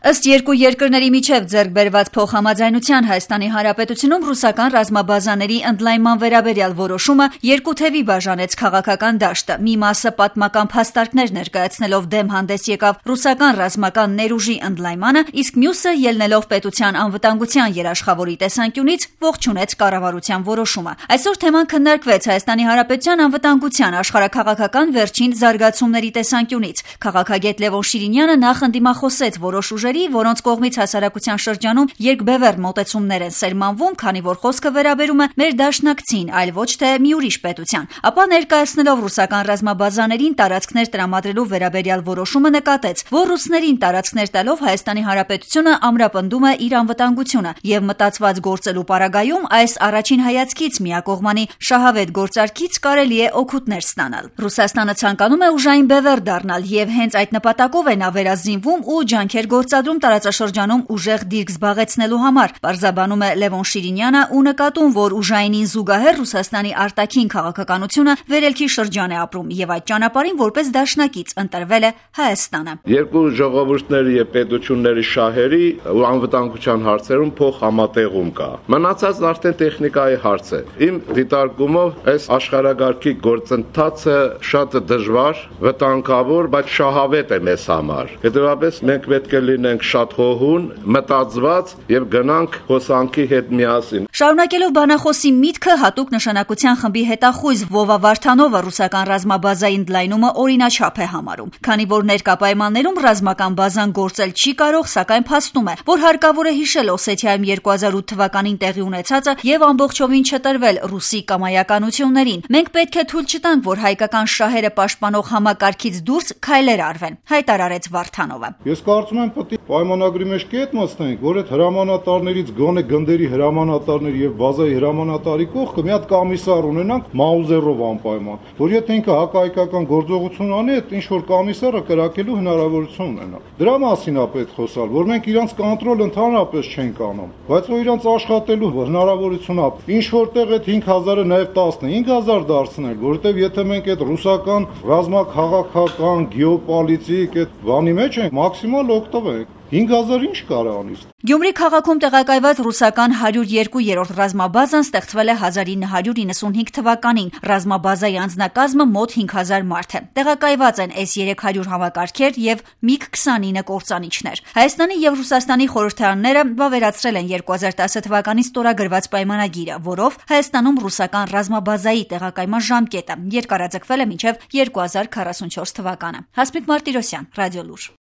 Ըստ երկու երկրների միջև ձեռք բերված փոխհամաձայնության Հայաստանի Հանրապետությունում ռուսական ռազմաբազաների ընդլայնման վերաբերյալ որոշումը երկու թևի բաժանեց քաղաքական դաշտը։ Մի մասը պատմական փաստարկներ ներկայացնելով դեմ հանդես եկավ ռուսական ռազմական ներուժի ընդլայնմանը, իսկ մյուսը ելնելով պետության անվտանգության երաշխավորի տեսանկյունից ողջունեց կառավարության որոշումը։ Այսօր թեման քննարկվեց Հայաստանի Հանրապետության անվտանգության աշխարհաքաղաքական վերջին զարգացումների տեսանկյունից։ Քաղաքագետ Լևոն Շիրինյանը նախ ընդդիմախոսեց որոշ ուժերի, որոնց կողմից հասարակության շրջանում երկբևեռ մոտեցումներ են սերմանվում, քանի որ խոսքը վերաբերում է մեր դաշնակցին, այլ ոչ թե մի ուրիշ պետության։ Ապա ներկայացնելով ռուսական ռազմաբազաներին տարածքներ տրամադրելու վերաբերյալ որոշումը նկատեց, որ ռուսներին տարածքներ տալով Հայաստանի Հանրապետությունը ամրապնդում է իր անվտանգությունը եւ մտածված գործելու պարագայում այս առաջին հայացքից միակողմանի շահավետ գործարքից կարելի է օգուտներ ստանալ։ Ռուսաստանը ցանկանում է ուժային բևեռ դառնալ եւ հենց այդ նպատակով է նա վերազինվում ու ջանքեր գործադրում տարածաշրջանում ուժեղ դիրք զբաղեցնելու համար, պարզաբանում է Լևոն Շիրինյանը ու նկատում, որ ուժայինին զուգահեռ Ռուսաստանի արտաքին քաղաքականությունը վերելքի շրջան է ապրում եւ այդ ճանապարհին որպես դաշնակից ընտրվել է Հայաստանը։ Երկու ժողովուրդների եւ պետությունների շահերի ու անվտանգության հարցերում փոխհամատեղում կա։ Մնացածն արդեն տեխնիկայի հարց է։ Իմ դիտարկումով այս աշխարհագարքի գործընթացը շատ դժվար, վտանգավոր, բայց շահավետ է մեզ համար։ Հետևաբար մենք պետք է լինենք շատ խոհուն, մտածված եւ գնանք հոսանքի հետ միասին։ Շարունակելով բանախոսի միտքը հատուկ նշանակության խմբի հետախույզ Վովա Վարդանովը ռուսական ռազմաբազայի ընդլայնումը օրինաչափ է համարում, քանի որ ներկա պայմաններում ռազմական բազան գործել չի կարող, սակայն փաստում է, որ հարկավոր է հիշել Օսեթիայում 2008 թվականին տեղի ունեցածը եւ ամբողջովին չտրվել ռուսի կամայականություններին։ Մենք պետք է թույլ չտանք, որ հայկական շահերը պաշտպանող համակարգից դուրս քայլեր արվեն, հայտարարեց Վարդանովը։ Ես կարծում եմ պետք է պայմանագրի մեջ կետ մտցնենք, որ այդ հրամանատարներից գոնե գնդերի հրամանատարների եւ բազայի հրամանատարի կողքը մի հատ կոմիսար ունենանք Մաուզերով անպայման, որ եթե ինքը հակահայկական գործողություն անի, այդ ինչ որ կոմիսարը կրակելու հնարավորություն ունենա։ Դրա մասին է պետք խոսալ, որ մենք իրանց կոնտրոլ ընդհանրապես չենք անում, բայց որ իրանց աշխատելու հնարավորություն է։ Ինչ որտեղ այդ 5000-ը նաեւ 15000 դարձնել, որովհետեւ եթե մենք այդ ռուսական ռազմաքաղաքական գեոպոլիտիկ այդ բանի մեջ ենք, մաքսիմալ օգտվենք։ 5000 ինչ կարող անի։ Գյումրի քաղաքում տեղակայված ռուսական 102-րդ ռազմաբազան ստեղծվել է 1995 թվականին։ Ռազմաբազայի անձնակազմը մոտ 5000 մարդ է։ Տեղակայված են S-300 համակարգեր եւ MiG-29 կործանիչներ։ Հայաստանի եւ Ռուսաստանի խորհրդարանները վավերացրել են 2010 թվականին ստորագրված պայմանագիրը, որով Հայաստանում ռուսական ռազմաբազայի տեղակայման ժամկետը երկարաձգվել է մինչեւ 2044 թվականը։ Հասմիկ Մարտիրոսյան, Ռադիոլուր։